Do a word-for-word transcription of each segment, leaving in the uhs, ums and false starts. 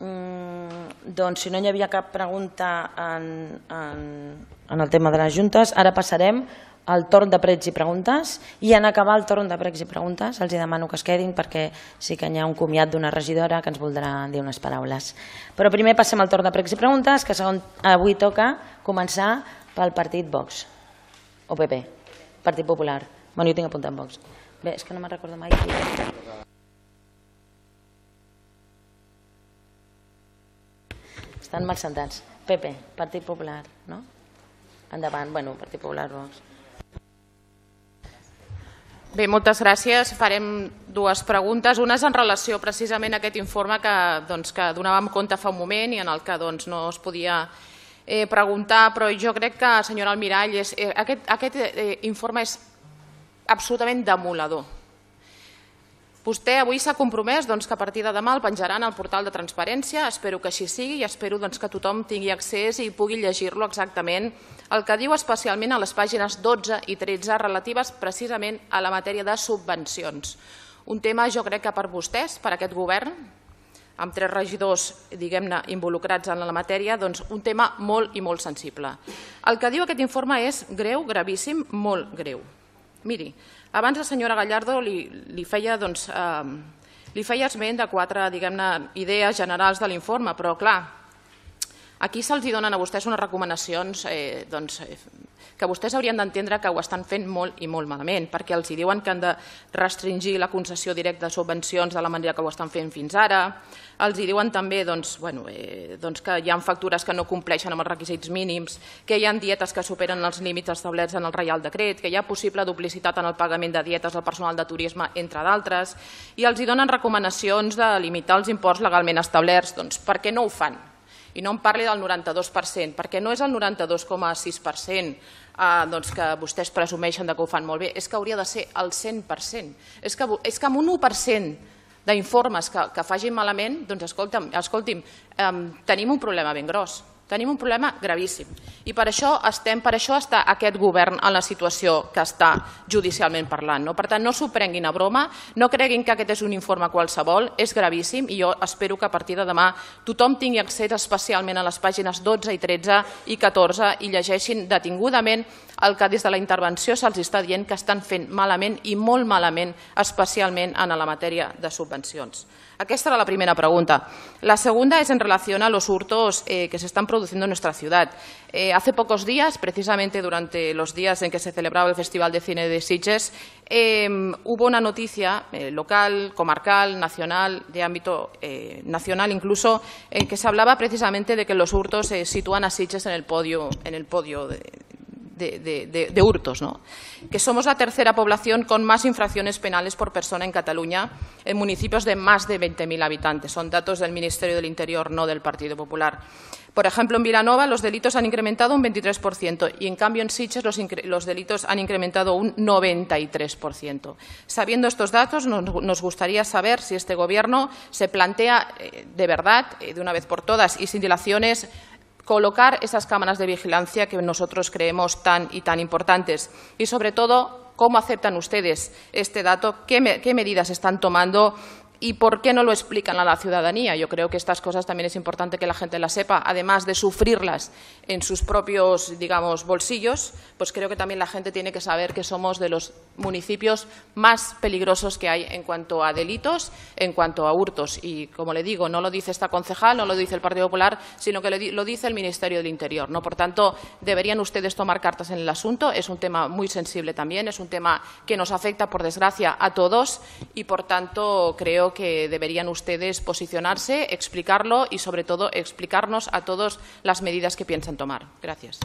Doncs si no hi havia cap pregunta en el tema de les juntes, ara passarem al torn de pregs i preguntes, i en acabar el torn de pregs i preguntes els demano que es quedin perquè sí que hi ha un comiat d'una regidora que ens voldrà dir unes paraules. Però primer passem al torn de pregs i preguntes, que avui toca començar pel partit Vox, o P P, Partit Popular. Bueno, jo tinc apuntat Vox. Bé, és que no me'n recordo mai. Estan mal sentats. P P, Partit Popular, no? Endavant, bueno, Partit Popular, Vox. Bé, moltes gràcies. Farem dues preguntes. Una és en relació precisament a aquest informe que donàvem compte fa un moment i en el que no es podia preguntar, però jo crec que, senyora Almirall, aquest informe és absolutament demoledor. Vostè avui s'ha compromès que a partir de demà el penjaran al portal de transparència. Espero que així sigui i espero que tothom tingui accés i pugui llegir-lo exactament, el que diu especialment a les pàgines dotze i tretze relatives precisament a la matèria de subvencions. Un tema, jo crec que per vostès, per aquest govern, amb tres regidors, diguem-ne, involucrats en la matèria, doncs un tema molt i molt sensible. El que diu aquest informe és greu, gravíssim, molt greu. Miri, abans la senyora Gallardo li feia esment de quatre idees generals de l'informe, però clar, aquí se'ls donen a vostès unes recomanacions que vostès haurien d'entendre que ho estan fent molt i molt malament, perquè els diuen que han de restringir la concessió directa de subvencions de la manera que ho estan fent fins ara, els diuen també que hi ha factures que no compleixen amb els requisits mínims, que hi ha dietes que superen els límits establerts en el Reial Decret, que hi ha possible duplicitat en el pagament de dietes al personal de turisme, entre d'altres, i els donen recomanacions de limitar els imports legalment establerts. Doncs per què no ho fan? I no em parli del noranta-dos per cent, perquè no és el noranta-dos coma sis per cent que vostès presumeixen que ho fan molt bé, és que hauria de ser el cent per cent. És que amb un u per cent d'informes que facin malament, doncs escolti'm, tenim un problema ben gros. Tenim un problema gravíssim i per això està aquest govern en la situació que està judicialment parlant. Per tant, no s'ho prenguin a broma, no creguin que aquest és un informe qualsevol, és gravíssim i jo espero que a partir de demà tothom tingui accés especialment a les pàgines dotze i tretze i catorze i llegeixin detingudament el que des de la intervenció se'ls està dient que estan fent malament i molt malament, especialment en la matèria de subvencions. Aquesta era la primera pregunta. La segunda es en relación a los hurtos que se están produciendo en nuestra ciudad. Hace pocos días, precisamente durante los días en que se celebraba el Festival de Cine de Sitges, hubo una noticia local, comarcal, nacional, de ámbito nacional incluso, en que se hablaba precisamente de que los hurtos se sitúan a Sitges en el podio, en el podio de... De, de, de, de hurtos, ¿no? Que somos la tercera población con más infracciones penales por persona en Cataluña, en municipios de más de veinte mil habitantes. Son datos del Ministerio del Interior, no del Partido Popular. Por ejemplo, en Vilanova los delitos han incrementado un veintitrés por ciento y en cambio en Sitges los, los delitos han incrementado un noventa y tres por ciento. Sabiendo estos datos, nos, nos gustaría saber si este Gobierno se plantea eh, de verdad, eh, de una vez por todas y sin dilaciones, colocar esas cámaras de vigilancia que nosotros creemos tan y tan importantes y, sobre todo, cómo aceptan ustedes este dato, qué, me, qué medidas están tomando y por qué no lo explican a la ciudadanía. Yo creo que estas cosas también es importante que la gente las sepa, además de sufrirlas en sus propios, digamos, bolsillos, pues creo que también la gente tiene que saber que somos de los municipios más peligrosos que hay en cuanto a delitos, en cuanto a hurtos. Y, como le digo, no lo dice esta concejal, no lo dice el Partido Popular, sino que lo dice el Ministerio del Interior, ¿no? Por tanto, deberían ustedes tomar cartas en el asunto. Es un tema muy sensible también, es un tema que nos afecta, por desgracia, a todos y, por tanto, creo que deberían ustedes posicionarse, explicarlo y, sobre todo, explicarnos a todos las medidas que piensan tomar. Gràcies.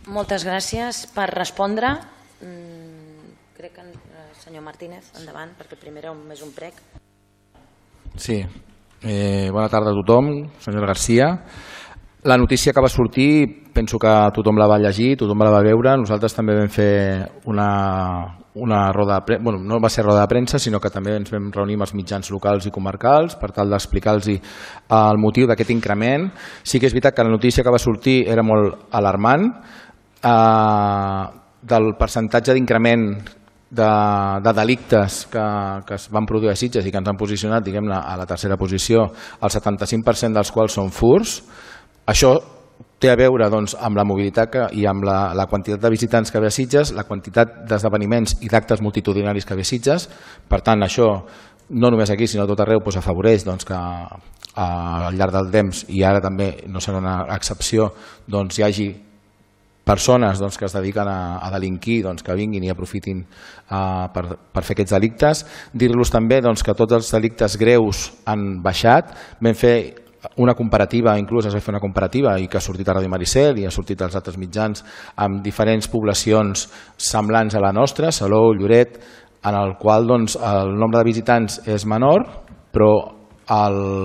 Moltes gràcies. Per respondre, crec que el senyor Martínez, endavant, perquè primer és un prec. Sí. Eh, bona tarda a tothom, senyora Garcia. La notícia que va sortir, penso que tothom la va llegir, tothom la va veure. Nosaltres també vam fer una, una roda de premsa, bueno, no va ser roda de premsa, sinó que també ens vam reunir amb els mitjans locals i comarcals per tal d'explicar-los el motiu d'aquest increment. Sí que és veritat que la notícia que va sortir era molt alarmant. Eh, del percentatge d'increment de, de delictes que, que es van produir a Sitges i que ens han posicionat, diguem-ne, a la tercera posició, el setanta-cinc per cent dels quals són furts. Això té a veure doncs, amb la mobilitat que, i amb la, la quantitat de visitants que ve a Sitges, la quantitat d'esdeveniments i d'actes multitudinaris que ve a Sitges. Per tant, això no només aquí, sinó a tot arreu, doncs, afavoreix doncs, que a, al llarg del temps, i ara també no serà una excepció, doncs, hi hagi persones doncs, que es dediquen a, a delinquir, doncs, que vinguin i aprofitin uh, per, per fer aquests delictes. Dir-los també doncs, que tots els delictes greus han baixat. Vam fer una comparativa, inclús es va fer una comparativa i que ha sortit a Ràdio Maricel i ha sortit als altres mitjans amb diferents poblacions semblants a la nostra, Salou, Lloret, en el qual doncs, el nombre de visitants és menor, però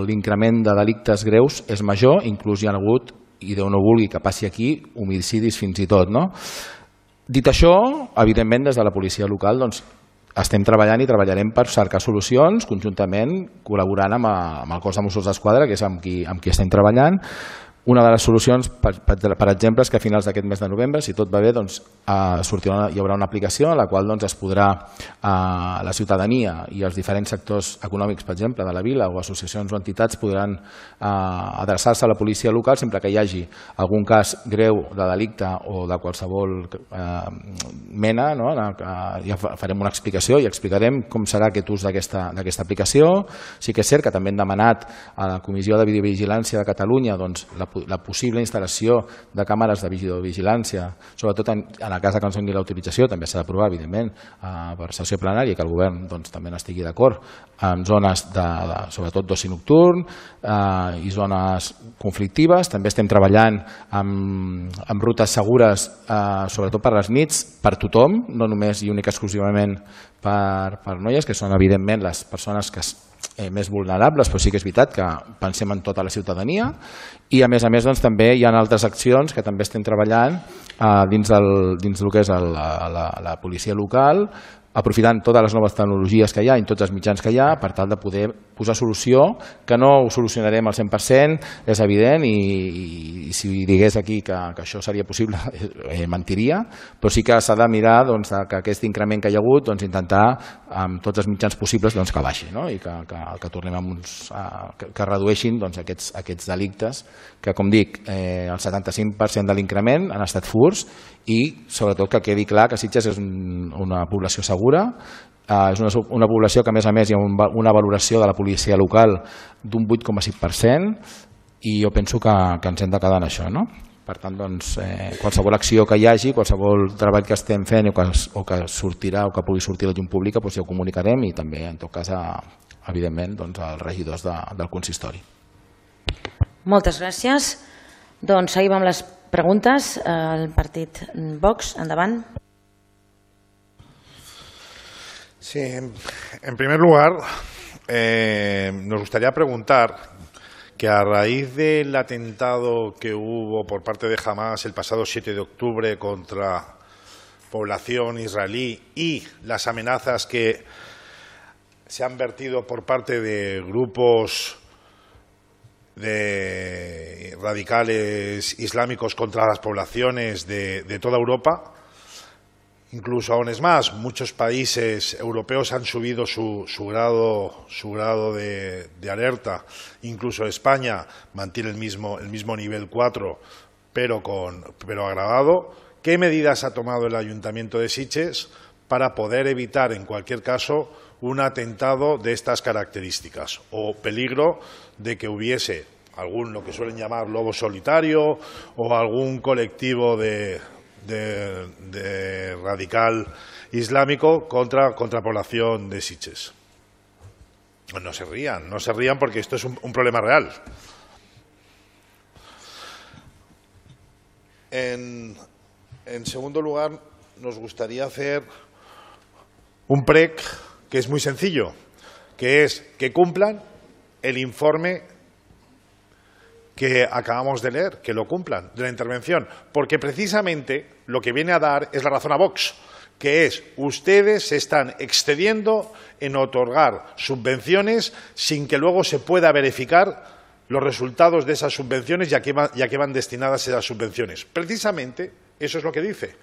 l'increment de delictes greus és major, inclús hi ha hagut, i Déu no vulgui que passi aquí, homicidis fins i tot. No? Dit això, evidentment des de la policia local doncs, estem treballant i treballarem per cercar solucions conjuntament, col·laborant amb, a, amb el cos de Mossos d'Esquadra, que és amb qui, amb qui estem treballant. Una de les solucions, per, per, per exemple, és que a finals d'aquest mes de novembre, si tot va bé, doncs, eh, sortirà, hi haurà una aplicació en la qual doncs, es podrà, eh, la ciutadania i els diferents sectors econòmics, per exemple, de la vila o associacions o entitats podran eh, adreçar-se a la policia local sempre que hi hagi algun cas greu de delicte o de qualsevol eh, mena. No? Ja farem una explicació i explicarem com serà aquest ús d'aquesta aplicació. Sí que és cert que també hem demanat a la Comissió de Videovigilància de Catalunya doncs, la la possible instal·lació de càmeres de videovigilància, sobretot en, en el cas que no tingui l'autorització, també s'ha d'aprovar, evidentment, eh, per sessió plenària, que el govern doncs, també n'estigui d'acord, en zones de, de sobretot d'oci nocturn eh, i zones conflictives. També estem treballant amb, amb rutes segures, eh, sobretot per les nits, per tothom, no només i únic exclusivament per, per noies, que són evidentment les persones que eh, més vulnerables, però sí que és veritat que pensem en tota la ciutadania. I a més a més doncs, també hi ha altres accions que també estem treballant eh, dins, del, dins del que és el, la, la policia local, aprofitant totes les noves tecnologies que hi ha i tots els mitjans que hi ha per tal de poder posar solució, que no ho solucionarem al cent per cent, és evident, i, i, i si digués aquí que, que això seria possible, eh, mentiria, però sí que s'ha de mirar doncs, que aquest increment que hi ha hagut doncs, intentar amb tots els mitjans possibles doncs, que baixi, no? I que, que, que tornem a uns, a, que, que redueixin doncs, aquests, aquests delictes, que com dic, eh, el setanta-cinc per cent de l'increment han estat furts, i sobretot que quedi clar que Sitges és un, una població segura, eh, és una, una població que a més a més hi ha un, una valoració de la policia local d'un vuit coma cinc per cent, i jo penso que, que ens hem de quedar en això. No? Per tant, doncs, eh, qualsevol acció que hi hagi, qualsevol treball que estem fent o que, o que sortirà o que pugui sortir a la llum pública, doncs ja ho comunicarem, i també en tot cas a, evidentment doncs, als regidors de, del consistori. Moltes gràcies. Doncs seguim amb les preguntes. El partit Vox, endavant. Sí, en, en primer lugar, eh, nos gustaría preguntar que a raíz del atentado que hubo por parte de Hamás el pasado siete de octubre contra población israelí y las amenazas que se han vertido por parte de grupos de radicales islámicos contra las poblaciones de, de toda Europa, incluso aún es más, muchos países europeos han subido su, su grado, su grado de, de alerta, incluso España mantiene el mismo, el mismo nivel cuatro, pero, con, pero agravado. ¿Qué medidas ha tomado el Ayuntamiento de Sitges para poder evitar, en cualquier caso, un atentado de estas características o peligro de que hubiese algún, lo que suelen llamar lobo solitario, o algún colectivo de, de, de radical islámico contra, contra población de Sitges? No se rían, no se rían porque esto es un, un problema real. En, en segundo lugar, nos gustaría hacer un prec que es muy sencillo, que es que cumplan el informe que acabamos de leer, que lo cumplan, de la intervención, porque precisamente lo que viene a dar es la razón a Vox, que es, ustedes se están excediendo en otorgar subvenciones sin que luego se pueda verificar los resultados de esas subvenciones y a qué van, y a qué van destinadas esas subvenciones. Precisamente eso es lo que dice.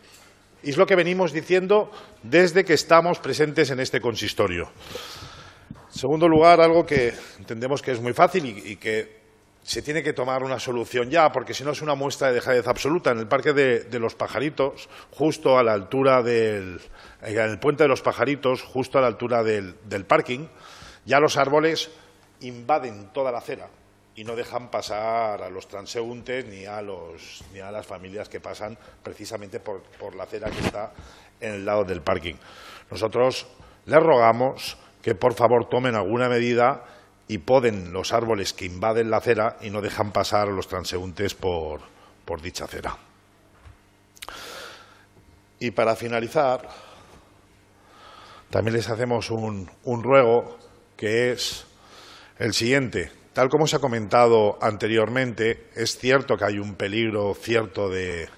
Y es lo que venimos diciendo desde que estamos presentes en este consistorio. En segundo lugar, algo que entendemos que es muy fácil y, y que se tiene que tomar una solución ya, porque si no es una muestra de dejadez absoluta. En el Parque de, de los Pajaritos, justo a la altura del en el Puente de los Pajaritos, justo a la altura del, del parking, ya los árboles invaden toda la acera y no dejan pasar a los transeúntes ni a, los, ni a las familias que pasan precisamente por, por la acera que está en el lado del parking. Nosotros les rogamos que por favor tomen alguna medida y poden los árboles que invaden la acera y no dejan pasar a los transeúntes por, por dicha acera. Y para finalizar, también les hacemos un, un ruego que es el siguiente. Tal como se ha comentado anteriormente, es cierto que hay un peligro cierto de,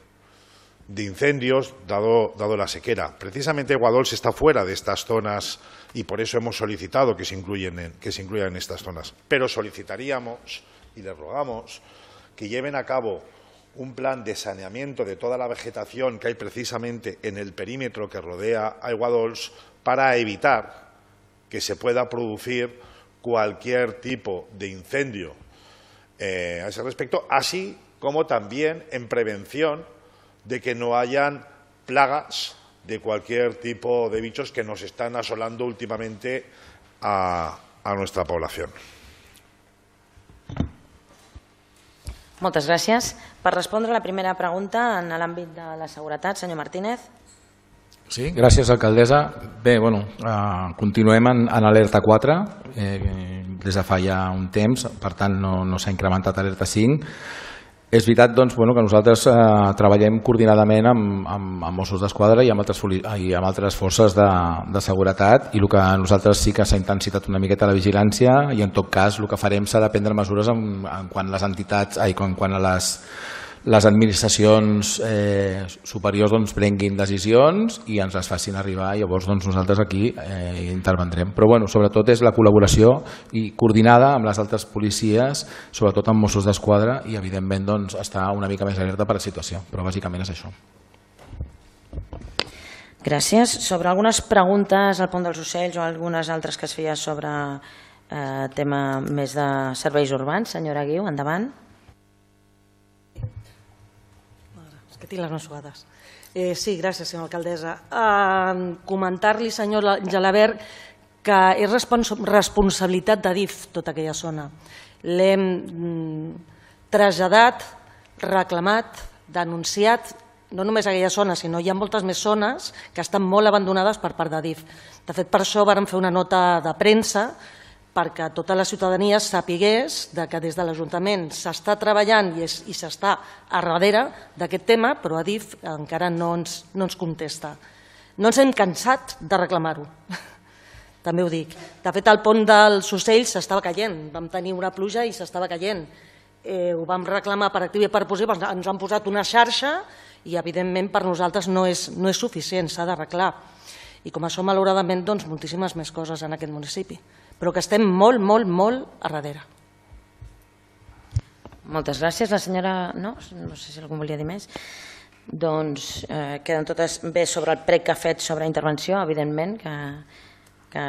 de incendios dado, dado la sequera. Precisamente Guadols está fuera de estas zonas y por eso hemos solicitado que se, incluyen en, que se incluyan en estas zonas. Pero solicitaríamos y les rogamos que lleven a cabo un plan de saneamiento de toda la vegetación que hay precisamente en el perímetro que rodea a Guadols para evitar que se pueda producir cualquier tipo de incendio eh, a ese respecto, así como también en prevención de que no hayan plagas de cualquier tipo de bichos que nos están asolando últimamente a, a nuestra población. Moltes gràcies. Per respondre a la primera pregunta en l'àmbit de la seguretat, senyor Martínez. Sí, gràcies, alcaldessa. Bé, bueno, eh, continuem en, en alerta quatre, eh, des de fa ja un temps, per tant no, no s'ha incrementat alerta cinc. És veritat doncs, bueno, que nosaltres eh, treballem coordinadament amb, amb, amb Mossos d'Esquadra i amb altres, i amb altres forces de, de seguretat, i el que nosaltres sí que s'ha intensitat una miqueta la vigilància, i en tot cas el que farem serà prendre mesures en, en quan les entitats, ai, quan, quan a les les administracions eh, superiors doncs, prenguin decisions i ens les facin arribar, i llavors doncs, nosaltres aquí eh, intervendrem. Però bueno, sobretot és la col·laboració i coordinada amb les altres policies, sobretot amb Mossos d'Esquadra, i evidentment doncs, estar una mica més alerta per la situació, però bàsicament és això. Gràcies. Sobre algunes preguntes al Pont dels Ocells o algunes altres que es feia sobre eh, tema més de serveis urbans, senyora Guiu, endavant. Que tinc les mensuades. Eh, sí, gràcies, senyora alcaldessa. Eh, Comentar-li, senyor Gelabert, que és respons responsabilitat d'A D I F tota aquella zona. L'hem mm, traslladat, reclamat, denunciat, no només aquella zona, sinó hi ha moltes més zones que estan molt abandonades per part d'A D I F. De fet, per això vàrem fer una nota de premsa perquè tota la ciutadania sapigués que des de l'Ajuntament s'està treballant i s'està a darrere d'aquest tema, però A D I F encara no ens, no ens contesta. No ens hem cansat de reclamar-ho, també ho dic. De fet, el pont dels Ocells s'estava caient, vam tenir una pluja i s'estava caient. Eh, ho vam reclamar per activa i per passiva, ens han posat una xarxa i evidentment per nosaltres no és, no és suficient, s'ha d'arreglar. I com això, malauradament, doncs, moltíssimes més coses en aquest municipi, però que estem molt, molt, molt a darrere. Moltes gràcies. La senyora... No? No sé si algú volia dir més. Doncs eh, queden totes bé sobre el prec que ha fet sobre intervenció, evidentment, que, que,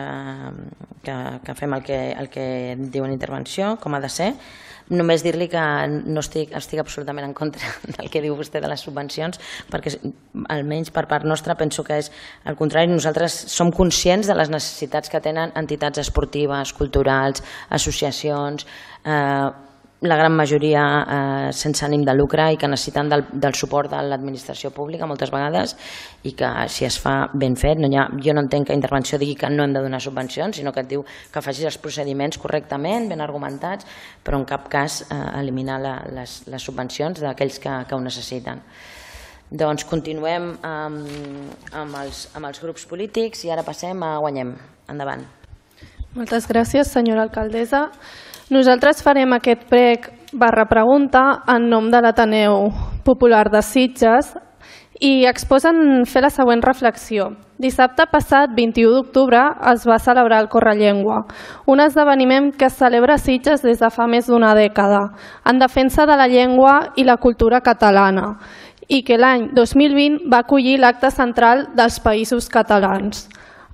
que, que fem el que, el que diu en intervenció, com ha de ser. Només dir-li que no estic, estic absolutament en contra del que diu vostè de les subvencions, perquè almenys per part nostra penso que és al contrari. Nosaltres som conscients de les necessitats que tenen entitats esportives, culturals, associacions, eh, la gran majoria eh, sense ànim de lucre i que necessiten del, del suport de l'administració pública moltes vegades, i que si es fa ben fet, no ha, jo no entenc que intervenció digui que no hem de donar subvencions, sinó que et diu que facis els procediments correctament, ben argumentats, però en cap cas eh, eliminar la, les, les subvencions d'aquells que, que ho necessiten. Doncs continuem amb, amb, els, amb els grups polítics i ara passem a Guanyem. Endavant. Moltes gràcies, senyora alcaldessa. Nosaltres farem aquest prec barra pregunta en nom de l'Ateneu Popular de Sitges i exposen fer la següent reflexió. Dissabte passat, vint-i-u d'octubre, es va celebrar el Correllengua, un esdeveniment que es celebra a Sitges des de fa més d'una dècada, en defensa de la llengua i la cultura catalana. i que l'any dos mil vint va acollir l'acte central dels Països Catalans.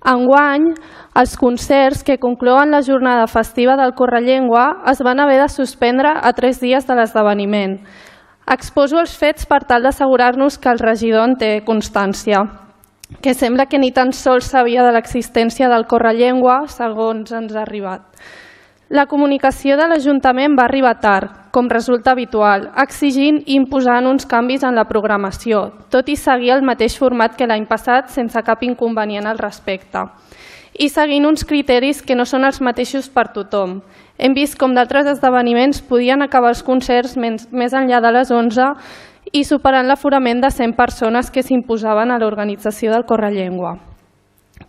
Enguany, els concerts que conclouen la jornada festiva del Correllengua es van haver de suspendre a tres dies de l'esdeveniment. Exposo els fets per tal d'assegurar-nos que el regidor en té constància, que sembla que ni tan sols sabia de l'existència del Correllengua, segons ens ha arribat. La comunicació de l'Ajuntament va arribar tard, com resulta habitual, exigint i imposant uns canvis en la programació, tot i seguir el mateix format que l'any passat sense cap inconvenient al respecte. I seguint uns criteris que no són els mateixos per tothom. Hem vist com d'altres esdeveniments podien acabar els concerts més enllà de les onze i superant l'aforament de cent persones que s'imposaven a l'organització del Correllengua.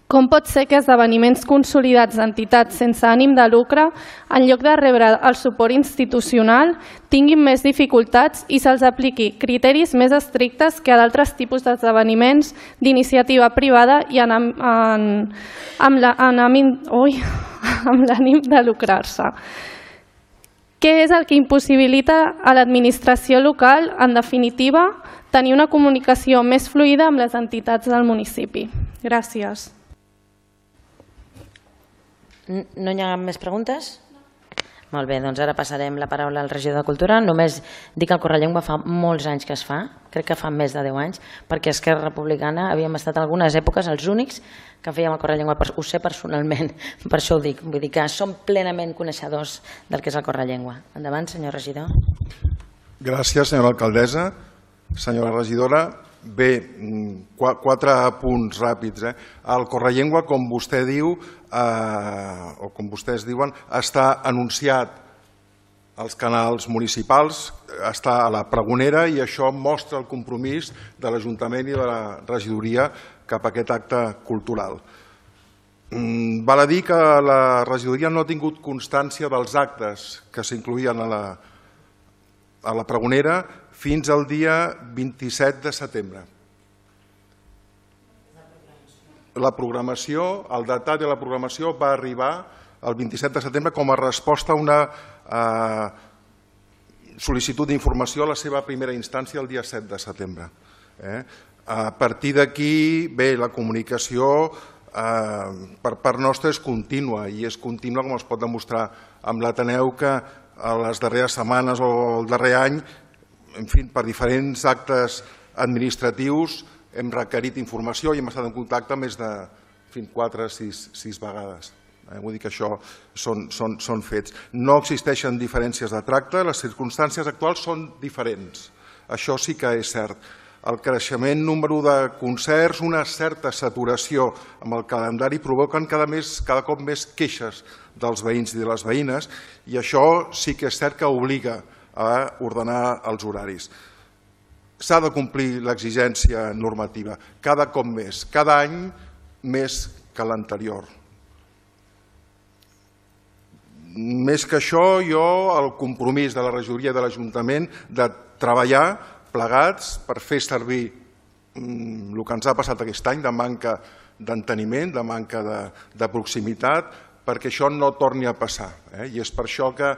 Com pot ser que esdeveniments consolidats d'entitats sense ànim de lucre, en lloc de rebre el suport institucional, tinguin més dificultats i se'ls apliqui criteris més estrictes que a d'altres tipus d'esdeveniments d'iniciativa privada i amb l'ànim de lucrar-se? Què és el que impossibilita a l'administració local, en definitiva, tenir una comunicació més fluida amb les entitats del municipi? Gràcies. No hi ha més preguntes? Molt bé, doncs ara passarem la paraula al regidor de Cultura. Només dic que el Correllengua fa molts anys que es fa, crec que fa més de deu anys, perquè Esquerra Republicana havíem estat algunes èpoques els únics que fèiem el Correllengua, ho sé personalment, per això ho dic, vull dir que som plenament coneixedors del que és el Correllengua. Endavant, senyor regidor. Gràcies, senyora alcaldessa. Senyora regidora, bé, quatre punts ràpids. El Correllengua, com vostè diu, o com vostès diuen, està anunciat als canals municipals, està a la pregonera i això mostra el compromís de l'Ajuntament i de la regidoria cap a aquest acte cultural. Val a dir que la regidoria no ha tingut constància dels actes que s'incloïen a la pregonera fins al dia vint-i-set de setembre. La programació, el detall de la programació va arribar el vint-i-set de setembre com a resposta a una sol·licitud d'informació a la seva primera instància el dia set de setembre. A partir d'aquí, bé, la comunicació per part nostra és contínua i és contínua com es pot demostrar amb l'Ateneu que a les darreres setmanes o el darrer any, en fi, per diferents actes administratius hem requerit informació i hem estat en contacte més de quatre o sis vegades. Vull dir que això són fets. No existeixen diferències de tracte, les circumstàncies actuals són diferents. Això sí que és cert. El creixement número de concerts, una certa saturació amb el calendari provoquen cada cop més queixes dels veïns i de les veïnes i això sí que és cert que obliga a ordenar els horaris. S'ha de complir l'exigència normativa, cada cop més, cada any més que l'anterior. Més que això, jo, el compromís de la regidoria de l'Ajuntament de treballar plegats per fer servir el que ens ha passat aquest any de manca d'enteniment, de manca de proximitat, perquè això no torni a passar. I és per això que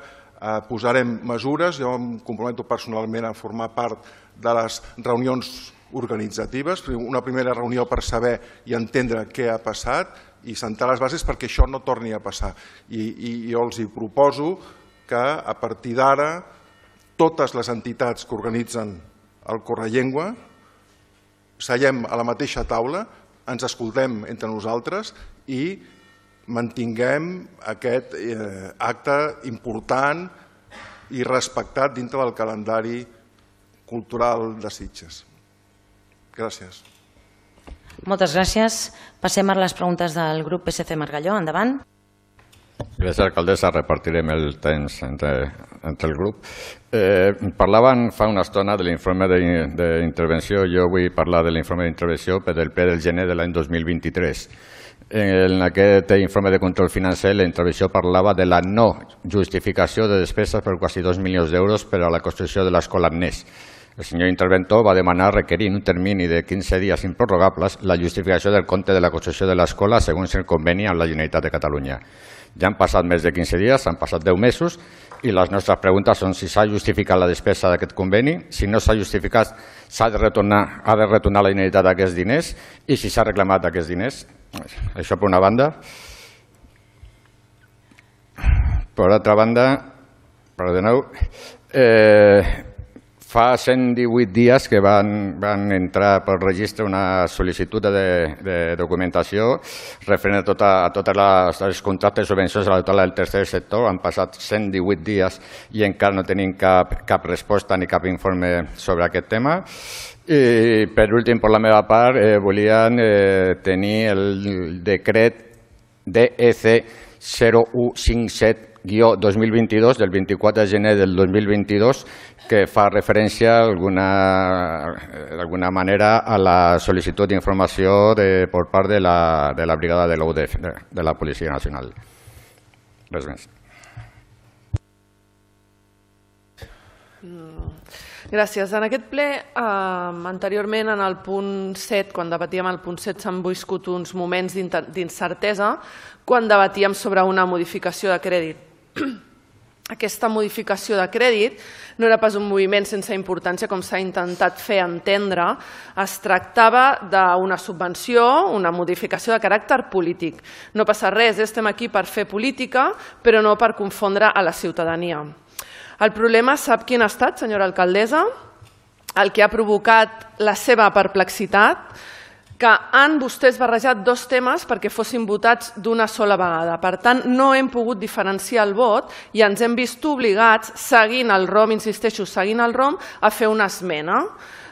posarem mesures, jo em comprometo personalment a formar part de les reunions organitzatives, una primera reunió per saber i entendre què ha passat i sentar les bases perquè això no torni a passar. I jo els proposo que a partir d'ara totes les entitats que organitzen el Correllengua seiem a la mateixa taula, ens escoltem entre nosaltres i mantinguem aquest acte important i respectat dintre del calendari cultural de Sitges. Gràcies. Moltes gràcies. Passem a les preguntes del grup P S C Margalló. Endavant. Gràcies, alcaldessa. Repartirem el temps entre el grup. Parlaven fa una estona de l'informe d'intervenció. Jo vull parlar de l'informe d'intervenció del ple del gener de l'any dos mil vint-i-tres. En aquest informe de control financer la intervenció parlava de la no justificació de despeses per quasi dos milions d'euros per a la construcció de l'escola Agnès. El senyor interventor va demanar requerir en un termini de quinze dies improrrogables la justificació del compte de la construcció de l'escola segons el conveni amb la Generalitat de Catalunya. Ja han passat més de quinze dies, han passat deu mesos, i les nostres preguntes són si s'ha justificat la despesa d'aquest conveni, si no s'ha justificat s'ha de retornar, ha de retornar la inanitat d'aquests diners i si s'ha reclamat aquests diners. Això per una banda. Per altra banda, perdoneu, eh, fa cent divuit dies que van, van entrar pel registre una sol·licitud de, de documentació referent a, tota, a tots els contractes i subvencions a la tutela del tercer sector. Han passat cent divuit dies i encara no tenim cap, cap resposta ni cap informe sobre aquest tema. I per últim, per la meva part, eh, volien eh, tenir el decret D E C zero u cinquanta-set dos mil vint-i-dos del vint-i-quatre de gener del dos mil vint-i-dos que fa referència d'alguna manera a la sol·licitud d'informació per part de la, de la brigada de l'U D F, de, de la Policia Nacional. Res més. Gràcies. En aquest ple, eh, anteriorment, en el punt set, quan debatíem el punt set, s'han viscut uns moments d'incertesa quan debatíem sobre una modificació de crèdit. Aquesta modificació de crèdit no era pas un moviment sense importància, com s'ha intentat fer entendre. Es tractava d'una subvenció, una modificació de caràcter polític. No passa res, estem aquí per fer política, però no per confondre a la ciutadania. El problema, sap quin ha estat, senyora alcaldessa? El que ha provocat la seva perplexitat, que han vostès barrejat dos temes perquè fossin votats d'una sola vegada. Per tant, no hem pogut diferenciar el vot i ens hem vist obligats, seguint el ROM, insisteixo, seguint el ROM, a fer una esmena.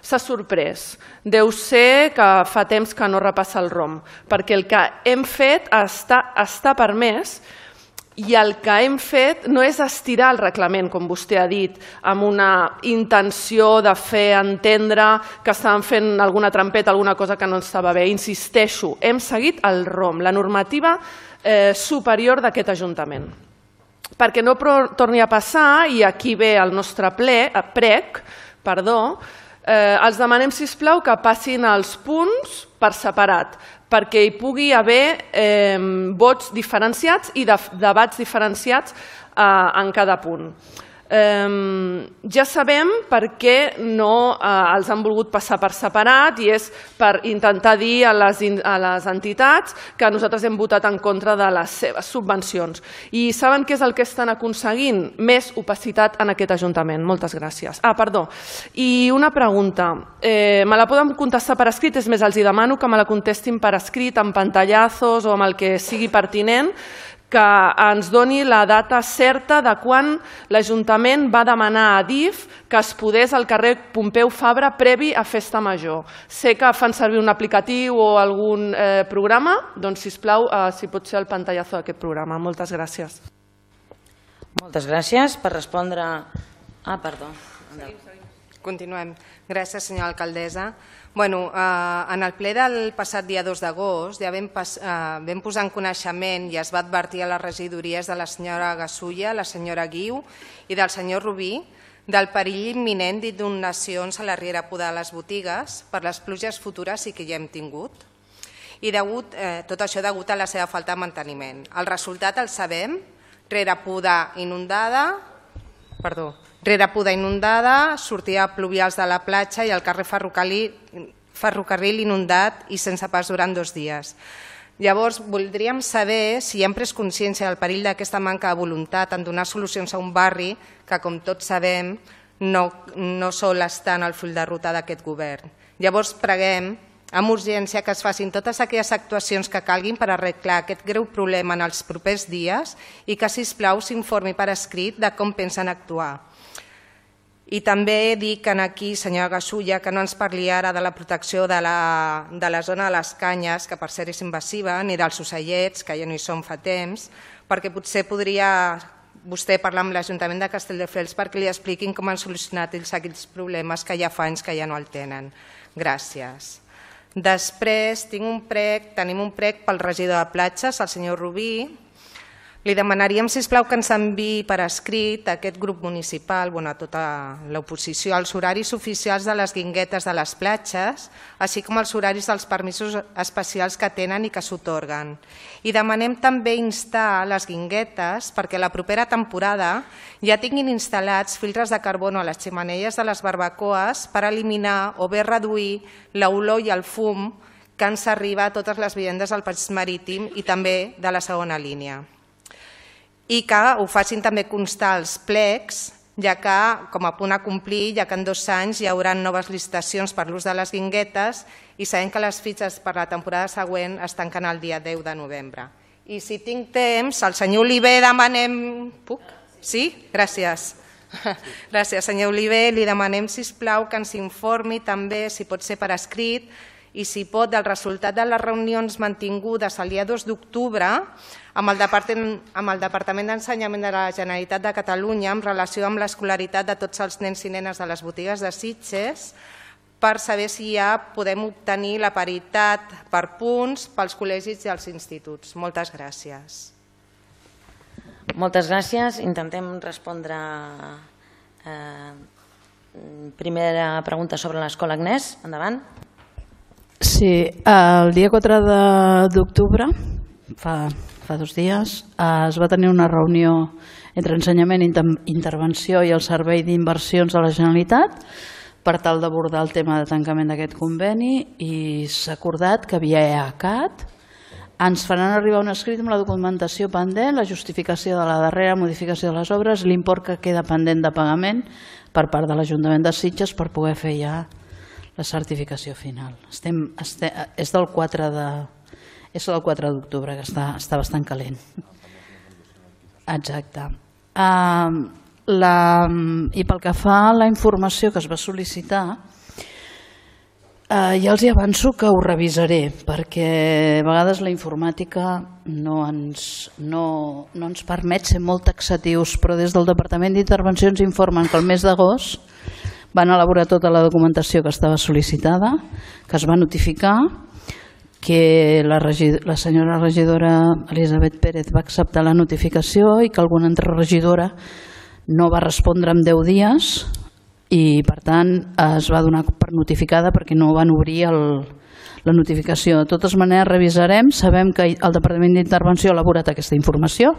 S'ha sorprès. Deu ser que fa temps que no repassa el ROM, perquè el que hem fet està, està permès. I el que hem fet no és estirar el reglament, com vostè ha dit, amb una intenció de fer entendre que estàvem fent alguna trampeta, alguna cosa que no estava bé. Insisteixo, hem seguit el ROM, la normativa eh, superior d'aquest Ajuntament. Perquè no torni a passar, i aquí ve el nostre ple, prec, perdó, eh, els demanem, sisplau, que passin els punts per separat, perquè hi pugui haver eh, vots diferenciats i de, debats diferenciats eh, en cada punt. Eh, ja sabem per què no eh, els han volgut passar per separat i és per intentar dir a les, a les entitats que nosaltres hem votat en contra de les seves subvencions. I saben què és el que estan aconseguint? Més opacitat en aquest Ajuntament. Moltes gràcies. Ah, perdó. I una pregunta. Eh, me la poden contestar per escrit? És més, els hi demano que me la contestin per escrit, amb pantallazos o amb el que sigui pertinent, que ens doni la data certa de quan l'Ajuntament va demanar a D I F que es podés al carrer Pompeu Fabra previ a Festa Major. Sé que fan servir un aplicatiu o algun eh, programa, doncs sisplau, eh, si pot ser el pantallazo d'aquest programa. Moltes gràcies. Moltes gràcies. Per respondre... Ah, perdó. Continuem. Gràcies, senyora alcaldessa. Bueno, eh, en el ple del passat dia dos d'agost ja vam, pas, eh, vam posar en coneixement i es va advertir a les regidories de la senyora Gasulla, la senyora Guiu i del senyor Rubí del perill imminent d'inundacions a la riera Podar de les botigues per les pluges futures i que ja hem tingut. I degut, eh, tot això degut a la seva falta de manteniment. El resultat el sabem, riera Podar inundada, perdó, Rere Podar inundada, sortida pluvials de la platja i el carrer ferrocarril, ferrocarril inundat i sense pas durant dos dies. Llavors, voldríem saber si hem pres consciència del perill d'aquesta manca de voluntat en donar solucions a un barri que, com tots sabem, no, no sol estar en el full de ruta d'aquest govern. Llavors, preguem amb urgència que es facin totes aquelles actuacions que calguin per arreglar aquest greu problema en els propers dies i que, sisplau, s'informi per escrit de com pensen actuar. I també dic aquí, senyora Gasulla, que no ens parli ara de la protecció de la, de la zona de les canyes, que per cert és invasiva, ni dels ocellets, que ja no hi són fa temps, perquè potser podria vostè parlar amb l'Ajuntament de Castelldefels perquè li expliquin com han solucionat ells aquells problemes que ja fa anys que ja no el tenen. Gràcies. Després tinc un prec, tenim un prec pel regidor de platges, el senyor Rubí. Li demanaríem, sisplau, que ens enviï per escrit a aquest grup municipal, bueno, a tota l'oposició, els horaris oficials de les guinguetes de les platges, així com els horaris dels permisos especials que tenen i que s'atorguen. I demanem també instar les guinguetes perquè la propera temporada ja tinguin instal·lats filtres de carbono a les xemeneies de les barbacoes per eliminar o bé reduir l'olor i el fum que ens arriba a totes les vivendes del Passeig Marítim i també de la segona línia. I que ho facin també constar els plecs, ja que, com a punt a complir, ja que en dos anys hi haurà noves licitacions per l'ús de les guinguetes i sabem que les fitxes per la temporada següent es tanquen el dia deu de novembre. I si tinc temps, al senyor Oliver demanem... Puc? Sí? Gràcies. Gràcies, senyor Oliver. Li demanem, sisplau, que ens informi també, si pot ser per escrit, i si pot, del resultat de les reunions mantingudes el dia dos d'octubre amb el Departament d'Ensenyament de la Generalitat de Catalunya en relació amb l'escolaritat de tots els nens i nenes de les botigues de Sitges per saber si ja podem obtenir la paritat per punts pels col·legis i els instituts. Moltes gràcies. Moltes gràcies. Intentem respondre primera pregunta sobre l'escola Agnès. Endavant. Sí, el dia quatre d'octubre, fa, fa dos dies, es va tenir una reunió entre Ensenyament, Intervenció i el Servei d'Inversions de la Generalitat per tal d'abordar el tema de tancament d'aquest conveni i s'ha acordat que via E A C A T ens faran arribar un escrit amb la documentació pendent, la justificació de la darrera modificació de les obres, l'import que queda pendent de pagament per part de l'Ajuntament de Sitges per poder fer ja la certificació final. Estem, estem, és del quatre d'octubre, que està, està bastant calent. Exacte. Uh, la, I pel que fa a la informació que es va sol·licitar, uh, ja els hi avanço que ho revisaré, perquè a vegades la informàtica no ens, no, no ens permet ser molt taxatius, però des del Departament d'Intervenció ens informen que el mes d'agost van elaborar tota la documentació que estava sol·licitada, que es va notificar, que la, la senyora regidora Elisabet Pérez va acceptar la notificació i que alguna altra regidora no va respondre en deu dies i per tant es va donar per notificada perquè no van obrir el, la notificació. De totes maneres revisarem, sabem que el Departament d'Intervenció ha elaborat aquesta informació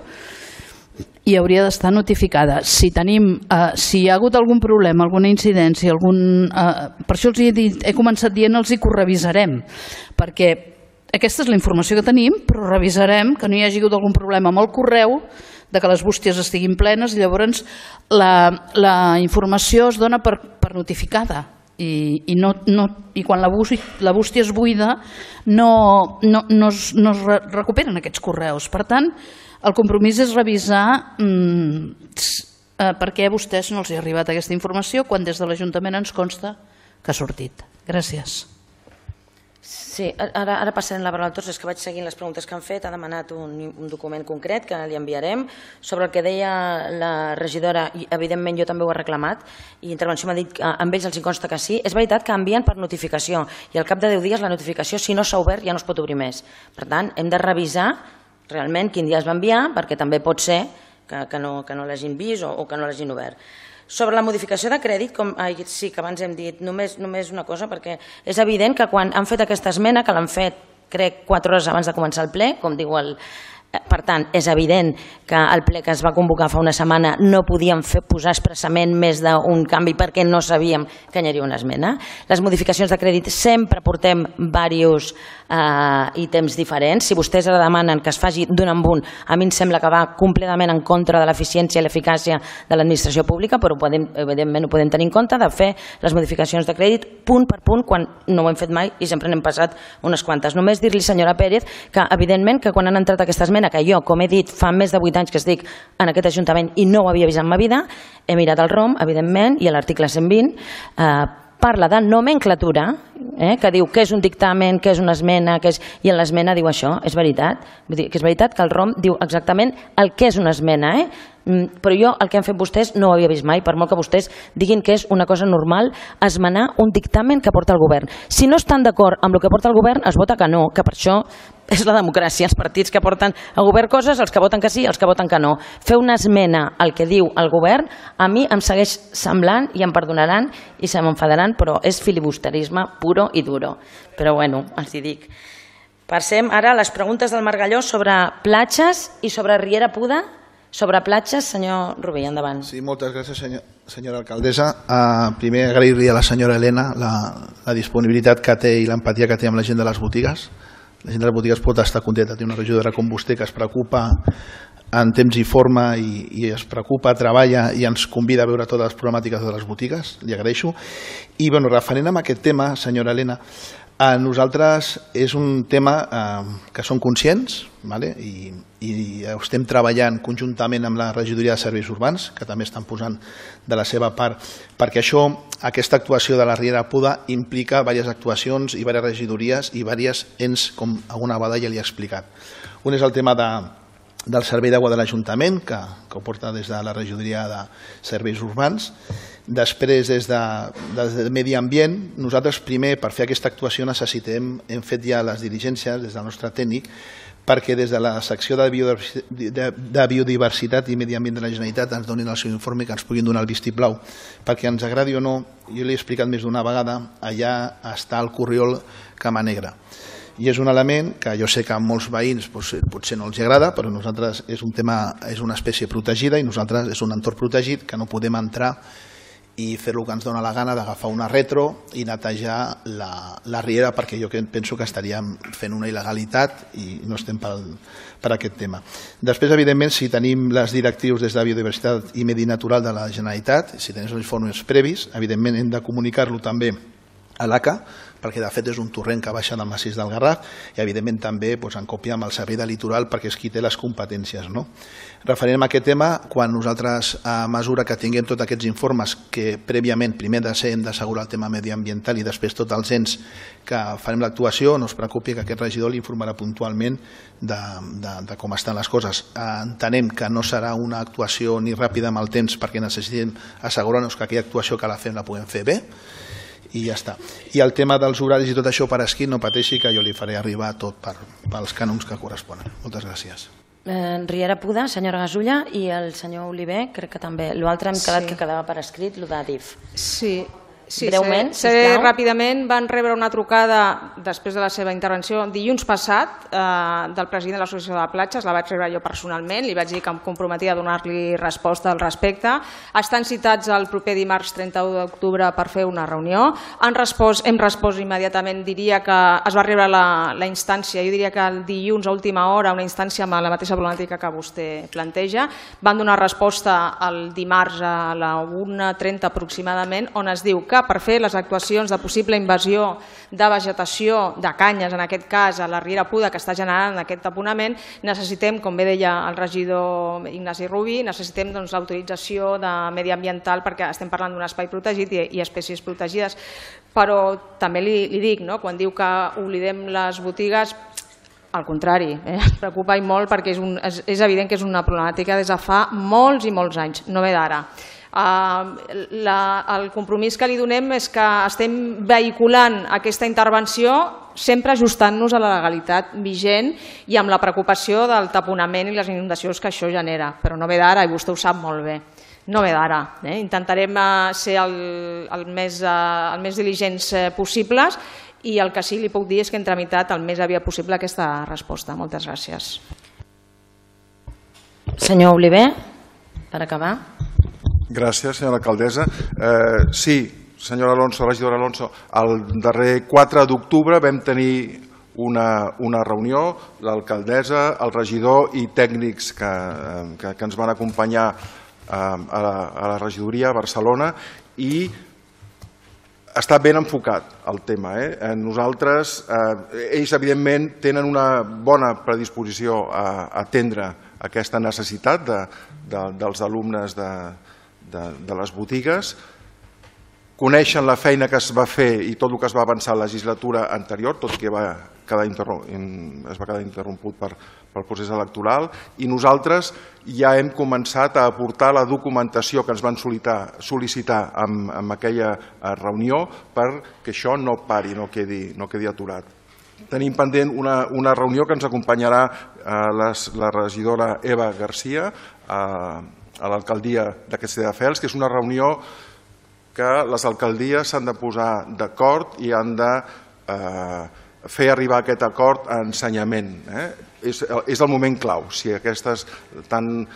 i hauria d'estar notificada. Si tenim, eh, si hi ha hagut algun problema, alguna incidència, algun, eh, per això els he, dit, he començat dient-los que ho revisarem, perquè aquesta és la informació que tenim, però revisarem que no hi hagi hagut algun problema amb el correu, de que les bústies estiguin plenes i llavors la, la informació es dona per, per notificada i, i, no, no, i quan la bústia, la bústia és buida no, no, no, es, no es recuperen aquests correus. Per tant, el compromís és revisar mmm, eh, per què a vostès no els ha arribat aquesta informació quan des de l'Ajuntament ens consta que ha sortit. Gràcies. Sí, ara, ara passarem la paraula a tots, és que vaig seguint les preguntes que han fet. Ha demanat un, un document concret que li enviarem sobre el que deia la regidora, i evidentment jo també ho he reclamat, i Intervenció m'ha dit que amb ells els consta que sí. És veritat que envien per notificació i al cap de deu dies la notificació, si no s'ha obert, ja no es pot obrir més. Per tant, hem de revisar realment quin dia es va enviar, perquè també pot ser que, que no, que no l'hagin vist o, o que no l'hagin obert. Sobre la modificació de crèdit, com, ai, sí que abans hem dit, només, només una cosa, perquè és evident que quan han fet aquesta esmena, que l'han fet crec quatre hores abans de començar el ple, com diu el... Per tant, és evident que el ple que es va convocar fa una setmana no podíem fer, posar expressament més d'un canvi perquè no sabíem que hi hauria una esmena. Les modificacions de crèdit sempre portem diversos eh, ítems diferents. Si vostès ara demanen que es faci d'un en un, a mi em sembla que va completament en contra de l'eficiència i l'eficàcia de l'administració pública, però podem, evidentment ho podem tenir en compte de fer les modificacions de crèdit punt per punt quan no ho hem fet mai i sempre n'hem passat unes quantes. Només dir-li, senyora Pérez, que evidentment que quan han entrat aquesta esmena, que jo, com he dit, fa més de vuit anys que estic en aquest Ajuntament i no ho havia vist en ma vida, he mirat el ROM, evidentment, i l'article cent vint eh, parla de nomenclatura, eh, que diu què és un dictamen, què és una esmena, què és... i en l'esmena diu això, és veritat. Vull dir que és veritat que el ROM diu exactament el que és una esmena, eh? Però jo el que han fet vostès no ho havia vist mai, per molt que vostès diguin que és una cosa normal esmenar un dictamen que porta el govern. Si no estan d'acord amb el que porta el govern, es vota que no, que per això és la democràcia, els partits que porten al govern coses, els que voten que sí, els que voten que no. Fer una esmena al que diu el govern, a mi em segueix semblant, i em perdonaran i se m'enfadaran, però és filibusterisme puro i duro. Però bueno, els hi dic. Passem ara a les preguntes del Margalló sobre platges i sobre Riera Puda. Sobre platges, senyor Rubí, endavant. Sí, moltes gràcies, senyor, senyora alcaldessa. Uh, primer, agrair-li a la senyora Helena la, la disponibilitat que té i l'empatia que té amb la gent de les botigues. La gent de les botigues pot estar contenta, té una regidora com vostè que es preocupa en temps i forma i, i es preocupa, treballa i ens convida a veure totes les problemàtiques de les botigues. Li agraeixo. I, bueno, referent a aquest tema, senyora Helena, a nosaltres és un tema eh, que som conscients, vale? I, i estem treballant conjuntament amb la regidoria de serveis urbans, que també estan posant de la seva part, perquè això, aquesta actuació de la Riera Puda implica diverses actuacions i diverses regidories i diversos ens, com alguna vegada ja li he explicat. Un és el tema de, del servei d'aigua de l'Ajuntament, que, que ho porta des de la regidoria de serveis urbans. Després, des de, des de Medi Ambient, nosaltres primer, per fer aquesta actuació, necessitem, hem fet ja les diligències des del nostre tècnic, perquè des de la secció de biodiversitat, de, de biodiversitat i Medi Ambient de la Generalitat ens donin el seu informe, que ens puguin donar el vistiplau. Perquè ens agradi o no, jo l'he explicat més d'una vegada, allà està el corriol Cama Negra. I és un element que jo sé que a molts veïns potser, potser no els agrada, però nosaltres és un tema, és una espècie protegida i nosaltres és un entorn protegit que no podem entrar i fer el que ens dona la gana d'agafar una retro i netejar la, la riera, perquè jo penso que estaríem fent una il·legalitat i no estem per, per aquest tema. Després, evidentment, si tenim les directrius des de Biodiversitat i Medi Natural de la Generalitat, si tenim els informes previs, evidentment hem de comunicar-lo també a l'A C A, perquè de fet és un torrent que baixa del massís del Garraf i evidentment també doncs, en còpia amb el servei de litoral perquè és qui té les competències. No? Referent a aquest tema, quan nosaltres a mesura que tinguem tots aquests informes que prèviament primer de ser hem d'assegurar el tema mediambiental i després tots els ens que farem l'actuació, no es preocupi que aquest regidor li informarà puntualment de, de, de com estan les coses. Entenem que no serà una actuació ni ràpida amb el temps perquè necessitem assegurar-nos que aquella actuació que la fem la puguem fer bé i ja està. I el tema dels horaris i tot això per escrit, no pateixi que jo li faré arribar tot per, pels cànons que corresponen. Moltes gràcies. Eh, Riera Puda, senyora Gasulla, i el senyor Oliver, crec que també. L'altre hem quedat sí. que quedava per escrit, el de D I F. Sí. Sí, breument, sé, sé ràpidament, van rebre una trucada després de la seva intervenció dilluns passat eh, del president de l'Associació de Platges, la vaig rebre jo personalment, li vaig dir que em comprometia a donar-li resposta al respecte. Estan citats el proper dimarts trenta-u d'octubre per fer una reunió. Han respost, hem respost immediatament, diria que es va rebre la, la instància, jo diria que el dilluns a última hora, una instància amb la mateixa problemàtica que vostè planteja. Van donar resposta el dimarts a la una trenta aproximadament, on es diu que per fer les actuacions de possible invasió de vegetació, de canyes, en aquest cas a la Riera Puda, que està generant aquest taponament, necessitem, com bé deia el regidor Ignasi Rubí, necessitem doncs, l'autorització de mediambiental perquè estem parlant d'un espai protegit i, i espècies protegides. Però també li, li dic, no? Quan diu que oblidem les botigues, al contrari, eh? es preocupa i molt perquè és, un, és, és evident que és una problemàtica des de fa molts i molts anys, no ve d'ara. Uh, la, el compromís que li donem és que estem vehiculant aquesta intervenció sempre ajustant-nos a la legalitat vigent i amb la preocupació del taponament i les inundacions que això genera, però no ve d'ara i vostè ho sap molt bé. No ve d'ara. Eh? Intentarem uh, ser el, el, més, uh, el més diligents uh, possibles i el que sí li puc dir és que hem tramitat el més aviat possible aquesta resposta. Moltes gràcies. Senyor Oliver, per acabar. Gràcies, senyora alcaldessa. Eh, sí, senyora Alonso, regidora Alonso, el darrer quatre d'octubre vam tenir una, una reunió, l'alcaldessa, el regidor i tècnics que, que, que ens van acompanyar eh, a, la, a la regidoria a Barcelona i està ben enfocat el tema. Eh? Nosaltres, eh, ells evidentment tenen una bona predisposició a, a atendre aquesta necessitat de, de, dels alumnes de De, de les botigues coneixen la feina que es va fer i tot el que es va avançar a la legislatura anterior, tot i que va quedar es va quedar interromput per, pel procés electoral, i nosaltres ja hem començat a aportar la documentació que ens van sol·licitar, sol·licitar en, en aquella reunió perquè això no pari, no quedi, no quedi aturat. Tenim pendent una, una reunió que ens acompanyarà eh, les, la regidora Eva Garcia a, a l'alcaldia de Castelldefels, que és una reunió que les alcaldies s'han de posar d'acord i han de eh, fer arribar aquest acord a ensenyament. Eh? És, és el moment clau. Si aquestes, tant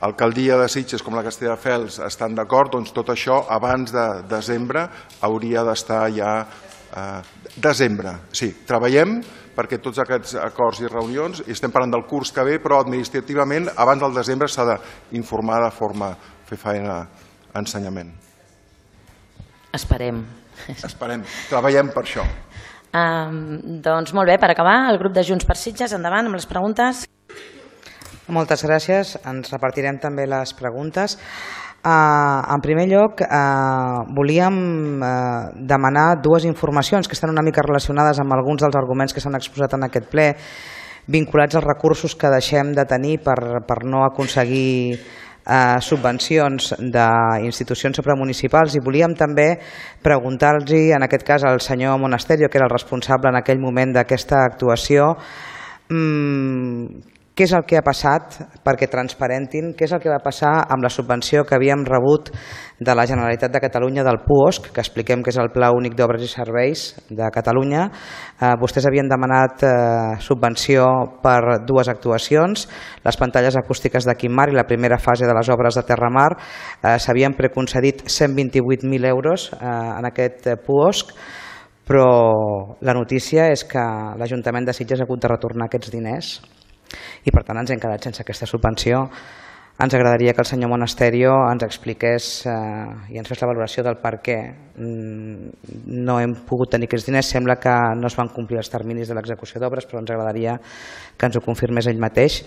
l'alcaldia de Sitges com la Castelldefels estan d'acord, doncs tot això abans de desembre hauria d'estar ja... Eh, desembre, sí. Treballem perquè tots aquests acords i reunions, i estem parlant del curs que ve, però administrativament abans del desembre s'ha d'informar de forma fer feina a ensenyament. Esperem. Esperem, treballem per això. Um, doncs molt bé, per acabar, el grup de Junts per Sitges, endavant amb les preguntes. Moltes gràcies, ens repartirem també les preguntes. Uh, en primer lloc, uh, volíem uh, demanar dues informacions que estan una mica relacionades amb alguns dels arguments que s'han exposat en aquest ple, vinculats als recursos que deixem de tenir per, per no aconseguir Uh, subvencions d'institucions supramunicipals, i volíem també preguntar-los, en aquest cas al senyor Monasterio, que era el responsable en aquell moment d'aquesta actuació, mmm, què és el que ha passat, perquè transparentin, què és el que va passar amb la subvenció que havíem rebut de la Generalitat de Catalunya del P U O S C, que expliquem que és el Pla Únic d'Obres i Serveis de Catalunya. Eh, vostès havien demanat eh, subvenció per dues actuacions, les pantalles acústiques de Quim Mar i la primera fase de les obres de Terramar. Eh, S'havien preconcedit cent vint-i-vuit mil euros eh, en aquest P U O S C, però la notícia és que l'Ajuntament de Sitges ha hagut de retornar aquests diners i per tant ens hem quedat sense aquesta subvenció. Ens agradaria que el senyor Monasterio ens expliqués eh, i ens fes la valoració del per què no hem pogut tenir aquests diners. Sembla que no es van complir els terminis de l'execució d'obres, però ens agradaria que ens ho confirmés ell mateix.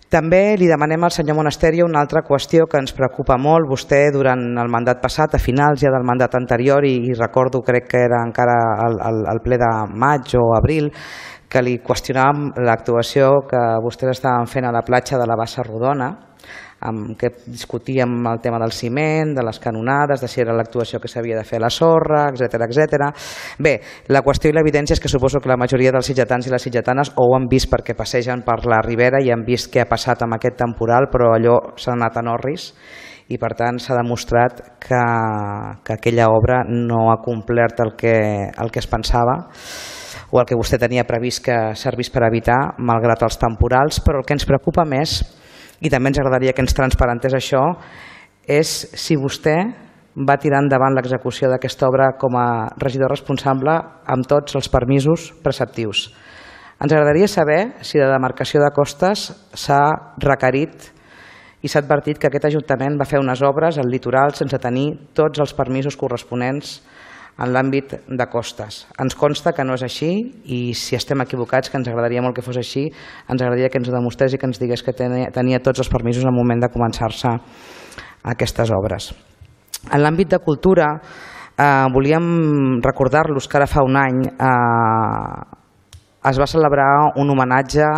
També li demanem al senyor Monasterio una altra qüestió que ens preocupa molt. Vostè durant el mandat passat, a finals ja del mandat anterior, i, i recordo, crec que era encara el, el, el ple de maig o abril, que li qüestionàvem l'actuació que vostès estaven fent a la platja de la Bassa Rodona, amb què discutíem el tema del ciment, de les canonades, de si era l'actuació que s'havia de fer a la sorra, etcètera, etcètera. Bé, la qüestió i l'evidència és que suposo que la majoria dels sitgetans i les sitgetanes ho han vist perquè passegen per la Ribera i han vist què ha passat amb aquest temporal, però allò s'ha anat en orris i per tant s'ha demostrat que, que aquella obra no ha complert el que, el que es pensava o el que vostè tenia previst que servís per evitar, malgrat els temporals. Però el que ens preocupa més, i també ens agradaria que ens transparentés això, és si vostè va tirar endavant l'execució d'aquesta obra com a regidor responsable amb tots els permisos preceptius. Ens agradaria saber si la demarcació de costes s'ha requerit i s'ha advertit que aquest Ajuntament va fer unes obres al litoral sense tenir tots els permisos corresponents en l'àmbit de costes. Ens consta que no és així i si estem equivocats, que ens agradaria molt que fos així, ens agradaria que ens ho demostrés i que ens digués que tenia tots els permisos al moment de començar-se aquestes obres. En l'àmbit de cultura, eh, volíem recordar-los que ara fa un any eh, es va celebrar un homenatge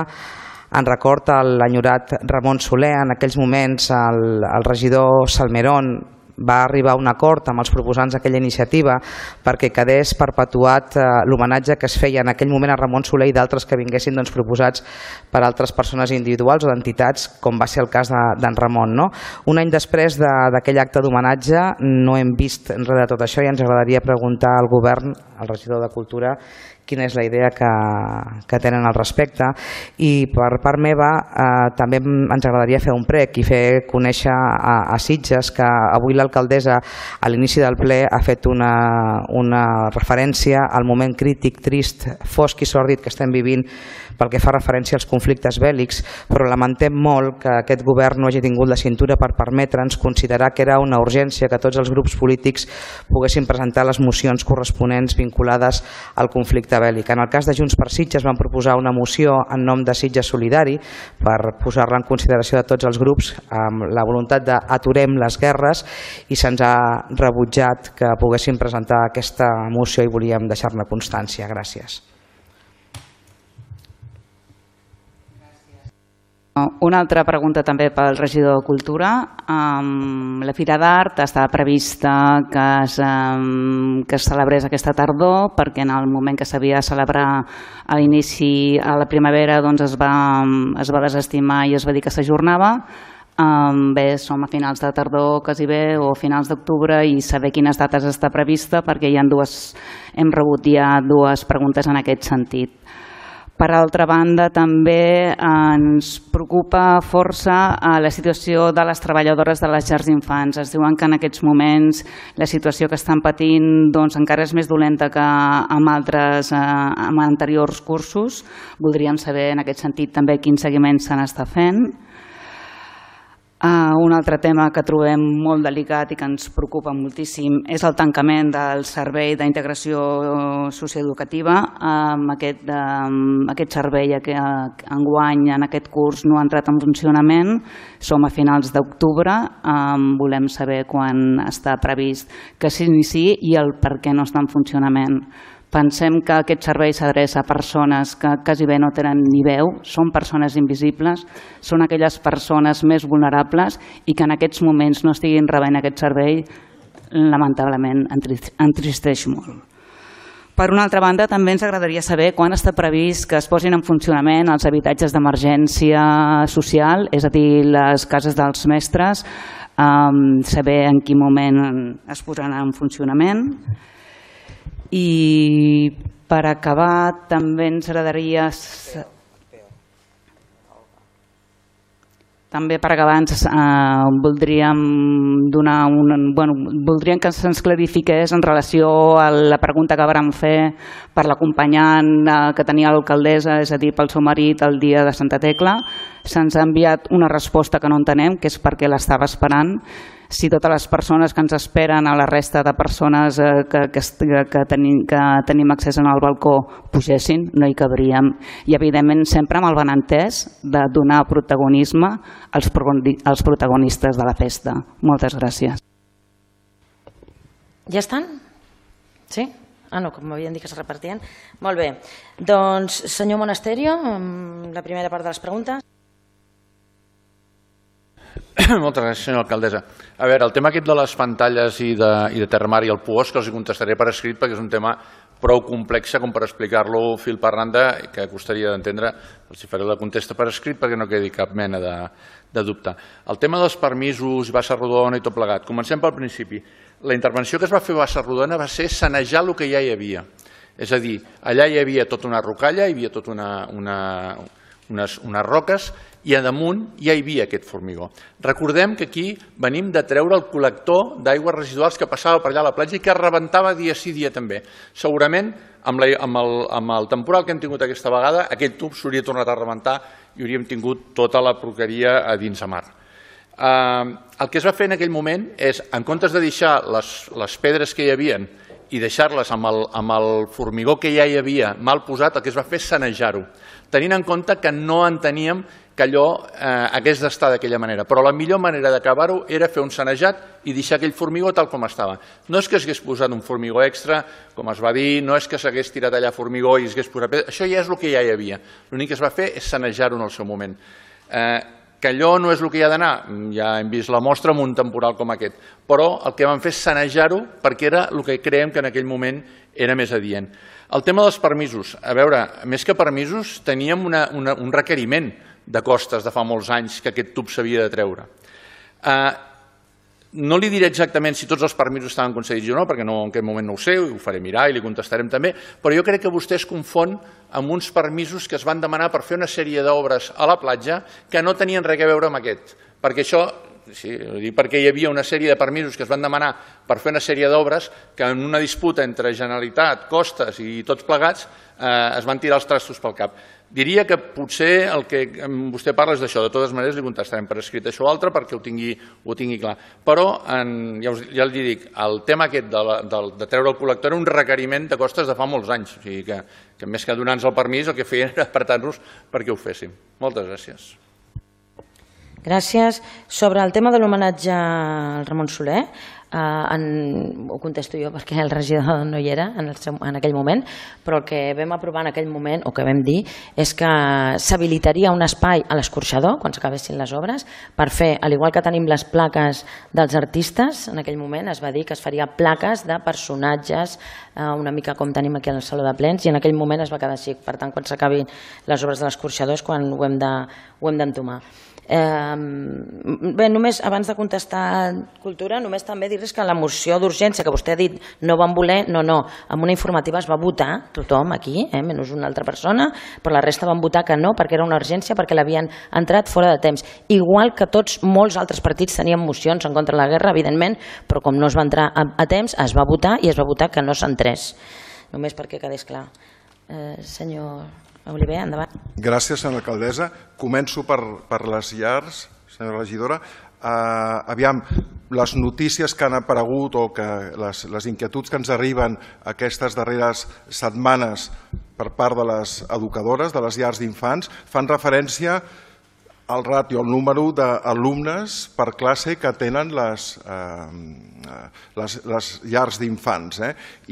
en record a l'enyorat Ramon Soler. En aquells moments el, el regidor Salmerón va arribar a un acord amb els proposants d'aquella iniciativa perquè quedés perpetuat eh, l'homenatge que es feia en aquell moment a Ramon Soler i d'altres que vinguessin doncs, proposats per altres persones individuals o d'entitats, com va ser el cas d'en Ramon. No? Un any després d'aquell de, acte d'homenatge no hem vist res de tot això i ens agradaria preguntar al govern, al regidor de Cultura, quina és la idea que, que tenen al respecte. I per part meva eh, també ens agradaria fer un prec i fer conèixer a, a Sitges que avui l'alcaldessa a l'inici del ple ha fet una, una referència al moment crític, trist, fosc i sòrdid que estem vivint pel que fa referència als conflictes bèl·lics, però lamentem molt que aquest govern no hagi tingut la cintura per permetre'ns considerar que era una urgència que tots els grups polítics poguessin presentar les mocions corresponents vinculades al conflicte maquiavèl·lic. En el cas de Junts per Sitges vam proposar una moció en nom de Sitges Solidari per posar-la en consideració de tots els grups amb la voluntat d'aturem les guerres i se'ns ha rebutjat que poguéssim presentar aquesta moció i volíem deixar-ne constància. Gràcies. Una altra pregunta també pel regidor de Cultura. La Fira d'Art estava prevista que es, que es celebrés aquesta tardor perquè en el moment que s'havia de celebrar a l'inici, a la primavera, doncs es va, es va desestimar i es va dir que s'ajornava. Bé, som a finals de tardor quasi bé o finals d'octubre i saber quines dates està prevista perquè hi ha dues, hem rebut ja dues preguntes en aquest sentit. Per altra banda, també ens preocupa força la situació de les treballadores de les llars d'infants. Es diuen que en aquests moments la situació que estan patint doncs, encara és més dolenta que amb altres amb anteriors cursos. Voldríem saber en aquest sentit també quin seguiment se n'està fent. Uh, un altre tema que trobem molt delicat i que ens preocupa moltíssim és el tancament del servei d'integració socioeducativa. Um, aquest, um, aquest servei que enguany en aquest curs no ha entrat en funcionament. Som a finals d'octubre, um, volem saber quan està previst que s'iniciï i el per què no està en funcionament. Pensem que aquest servei s'adreça a persones que quasi bé no tenen ni veu, són persones invisibles, són aquelles persones més vulnerables i que en aquests moments no estiguin rebent aquest servei, lamentablement entristeix molt. Per una altra banda, també ens agradaria saber quan està previst que es posin en funcionament els habitatges d'emergència social, és a dir, les cases dels mestres, saber en quin moment es posaran en funcionament. I per acabar també ens agradaria també per acabar ens eh, voldríem donar un, bueno, voldríem que se'ns clarifiqués en relació a la pregunta que vàrem fer per l'acompanyant eh, que tenia l'alcaldessa, és a dir, pel seu marit el dia de Santa Tecla. Se'ns ha enviat una resposta que no entenem, que és perquè l'estava esperant. Si totes les persones que ens esperen a la resta de persones eh, que, que, que, tenim, que tenim accés al balcó pugessin, no hi cabríem. I evidentment sempre amb el benentès de donar protagonisme als, als protagonistes de la festa. Moltes gràcies. Ja estan? Sí? Ah, no, com m'havien dit que es repartien. Molt bé. Doncs, senyor Monasterio, la primera part de les preguntes. Moltes gràcies, senyora alcaldessa. A veure, el tema aquest de les pantalles i de, i de Terramar i el Puosc els contestaré per escrit perquè és un tema prou complex com per explicar-lo fil per randa que costaria d'entendre. Els faré la contesta per escrit perquè no quedi cap mena de, de dubte. El tema dels permisos, Bassa Rodona i tot plegat. Comencem pel principi. La intervenció que es va fer a Bassa Rodona va ser sanejar el que ja hi havia. És a dir, allà hi havia tota una rocalla, hi havia tota una, una, unes, unes roques i a damunt ja hi havia aquest formigó. Recordem que aquí venim de treure el col·lector d'aigües residuals que passava per allà a la platja i que rebentava dia sí dia també. Segurament amb, la, amb, el, amb el temporal que hem tingut aquesta vegada aquell tub s'hauria tornat a rebentar i hauríem tingut tota la porqueria a dins a mar. Eh, el que es va fer en aquell moment és, en comptes de deixar les, les pedres que hi havien i deixar-les amb, el, amb el formigó que ja hi havia mal posat, el que es va fer és sanejar-ho, tenint en compte que no enteníem que allò eh, hagués d'estar d'aquella manera. Però la millor manera d'acabar-ho era fer un sanejat i deixar aquell formigó tal com estava. No és que s'hagués posat un formigó extra, com es va dir, no és que s'hagués tirat allà formigó i s'hagués posat pedra, això ja és el que ja hi havia. L'únic que es va fer és sanejar-ho en el seu moment. Eh, que allò no és el que hi ha d'anar, ja hem vist la mostra amb un temporal com aquest, però el que vam fer és sanejar-ho perquè era el que creiem que en aquell moment era més adient. El tema dels permisos, a veure, més que permisos, teníem una, una, un requeriment de costes de fa molts anys que aquest tub s'havia de treure. Eh, no li diré exactament si tots els permisos estaven concedits o no, perquè no, en aquest moment no ho sé, ho faré mirar i li contestarem també, però jo crec que vostè es confon amb uns permisos que es van demanar per fer una sèrie d'obres a la platja que no tenien res a veure amb aquest, perquè això sí, perquè hi havia una sèrie de permisos que es van demanar per fer una sèrie d'obres que en una disputa entre Generalitat, costes i tots plegats es van tirar els trastos pel cap. Diria que potser el que vostè parla és d'això. De totes maneres, li contestarem per escrit això o altre perquè ho tingui clar. Però, ja li dic, el tema aquest de treure el col·lector era un requeriment de costes de fa molts anys. O sigui que més que donar-nos el permís, el que feien era apretar-nos perquè ho féssim. Moltes gràcies. Gràcies. Sobre el tema de l'homenatge al Ramon Soler, ho contesto jo perquè el regidor no hi era en aquell moment, però el que vam aprovar en aquell moment, o que vam dir, és que s'habilitaria un espai a l'escorxador, quan s'acabessin les obres, per fer, al igual que tenim les plaques dels artistes, en aquell moment es va dir que es faria plaques de personatges, una mica com tenim aquí al Saló de Plens, i en aquell moment es va quedar així. Per tant, quan s'acabin les obres de l'escorxador és quan ho hem d'entomar. Bé, només abans de contestar Cultura, només també dir-los que la moció d'urgència que vostè ha dit no van voler, no, no, amb una informativa es va votar, tothom aquí, menys una altra persona, però la resta van votar que no perquè era una urgència, perquè l'havien entrat fora de temps. Igual que tots, molts altres partits tenien mocions en contra de la guerra, evidentment, però com no es va entrar a temps, es va votar i es va votar que no s'entrés. Només perquè quedés clar. Senyor Oliver, endavant. Gràcies, senyora alcaldessa. Començo per les llars, senyora regidora. Aviam, les notícies que han aparegut o les inquietuds que ens arriben aquestes darreres setmanes per part de les educadores, de les llars d'infants, fan referència al ràtio, al número d'alumnes per classe que tenen les llars d'infants.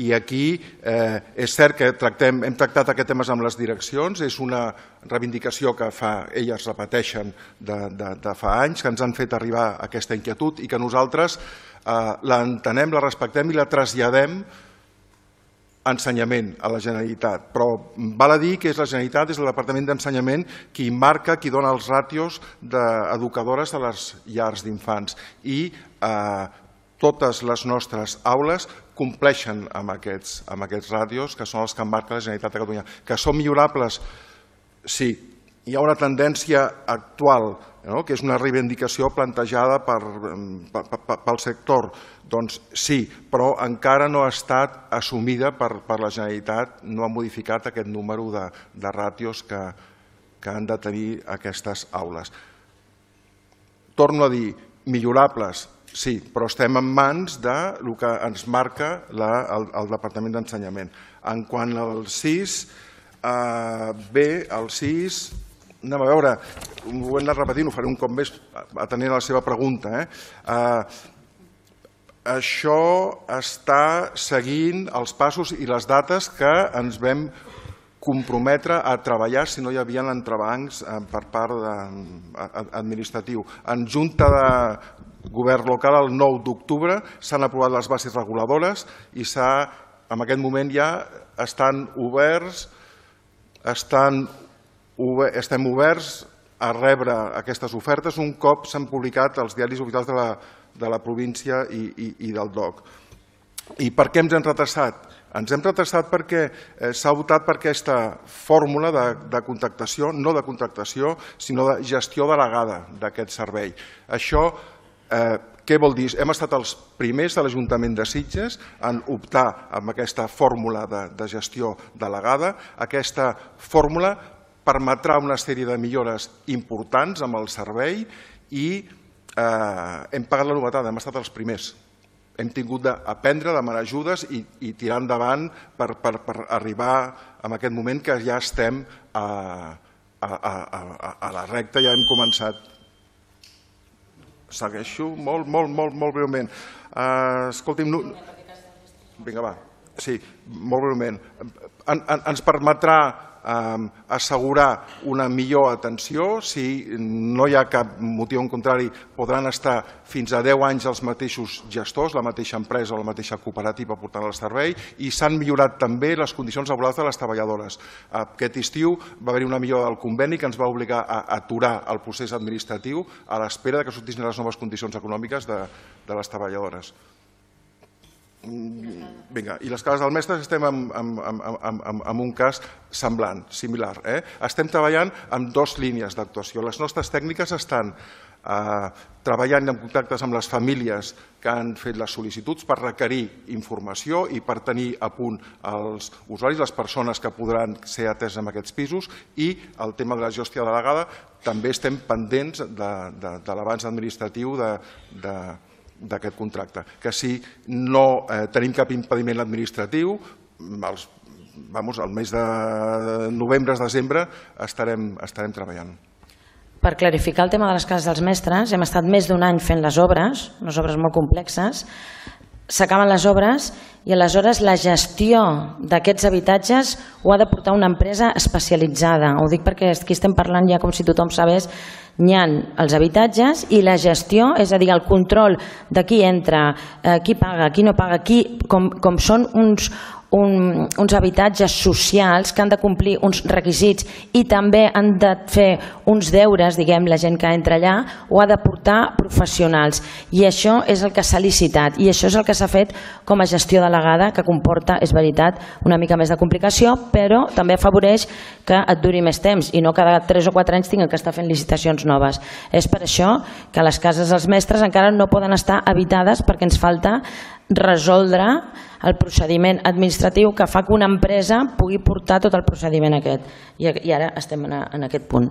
I aquí és cert que hem tractat aquest tema amb les direccions, és una reivindicació que elles repeteixen de fa anys, que ens han fet arribar aquesta inquietud i que nosaltres l'entenem, la respectem i la traslladem a Ensenyament, a la Generalitat. Però val a dir que és la Generalitat, és el Departament d'Ensenyament qui marca, qui dona els ràtios d'educadores de les llars d'infants. I totes les nostres aules compleixen amb aquests ràtios que són els que marca la Generalitat de Catalunya. Que són millorables? Sí. Hi ha una tendència actual, que és una reivindicació plantejada pel sector. Doncs sí, però encara no ha estat assumida per la Generalitat, no ha modificat aquest número de ràtios que han de tenir aquestes aules. Torno a dir, millorables, sí, però estem en mans del que ens marca el Departament d'Ensenyament. En quant al sis, bé, el sis... Anem a veure, ho hem anat repetint, ho faré un cop més atenent a la seva pregunta. Això està seguint els passos i les dates que ens vam comprometre a treballar si no hi havia entrebancs per part administratiu. En Junta de Govern Local, el nou d'octubre, s'han aprovat les bases reguladores i en aquest moment ja estan oberts, estan estem oberts a rebre aquestes ofertes un cop s'han publicat els diaris oficials de la província i del D O C. I per què ens hem retrasat? Ens hem retrasat perquè s'ha votat per aquesta fórmula de contractació, no de contractació, sinó de gestió delegada d'aquest servei. Això, què vol dir? Hem estat els primers de l'Ajuntament de Sitges en optar amb aquesta fórmula de gestió delegada. Aquesta fórmula permetrà una sèrie de millores importants amb el servei i hem pagat la novetat, hem estat els primers. Hem tingut d'aprendre, demanar ajudes i tirar endavant per arribar a aquest moment que ja estem a la recta, ja hem començat. Segueixo molt, molt, molt, molt breument. Escolti'm... Vinga, va. Sí, molt breument. Ens permetrà assegurar una millor atenció. Si no hi ha cap motiu en contrari, podran estar fins a deu anys els mateixos gestors, la mateixa empresa o la mateixa cooperativa portant el servei, i s'han millorat també les condicions laborals de les treballadores. Aquest estiu va haver-hi una millora del conveni que ens va obligar a aturar el procés administratiu a l'espera que sortissin les noves condicions econòmiques de les treballadores. Vinga, i les cases del mestre estem en un cas semblant, similar. Estem treballant amb dues línies d'actuació. Les nostres tècniques estan treballant en contactes amb les famílies que han fet les sol·licituds per requerir informació i per tenir a punt els usuaris, les persones que podran ser ateses en aquests pisos, i el tema de la gestió delegada també estem pendents de l'avanç administratiu d'aquest contracte. Que si no tenim cap impediment administratiu, al mes de novembre, desembre, estarem treballant. Per clarificar el tema de les cases dels mestres, hem estat més d'un any fent les obres, unes obres molt complexes, s'acaben les obres i aleshores la gestió d'aquests habitatges ho ha de portar una empresa especialitzada. Ho dic perquè aquí estem parlant ja com si tothom sabés, n'hi ha els habitatges i la gestió, és a dir, el control de qui entra, qui paga, qui no paga, com són uns uns habitatges socials que han de complir uns requisits i també han de fer uns deures, diguem, la gent que entra allà, ho ha de portar professionals. I això és el que s'ha licitat i això és el que s'ha fet com a gestió delegada, que comporta, és veritat, una mica més de complicació, però també afavoreix que et duri més temps i no cada tres o quatre anys tinguin que estar fent licitacions noves. És per això que les cases dels mestres encara no poden estar habitades perquè ens falta resoldre el procediment administratiu que fa que una empresa pugui portar tot el procediment aquest. I ara estem en aquest punt.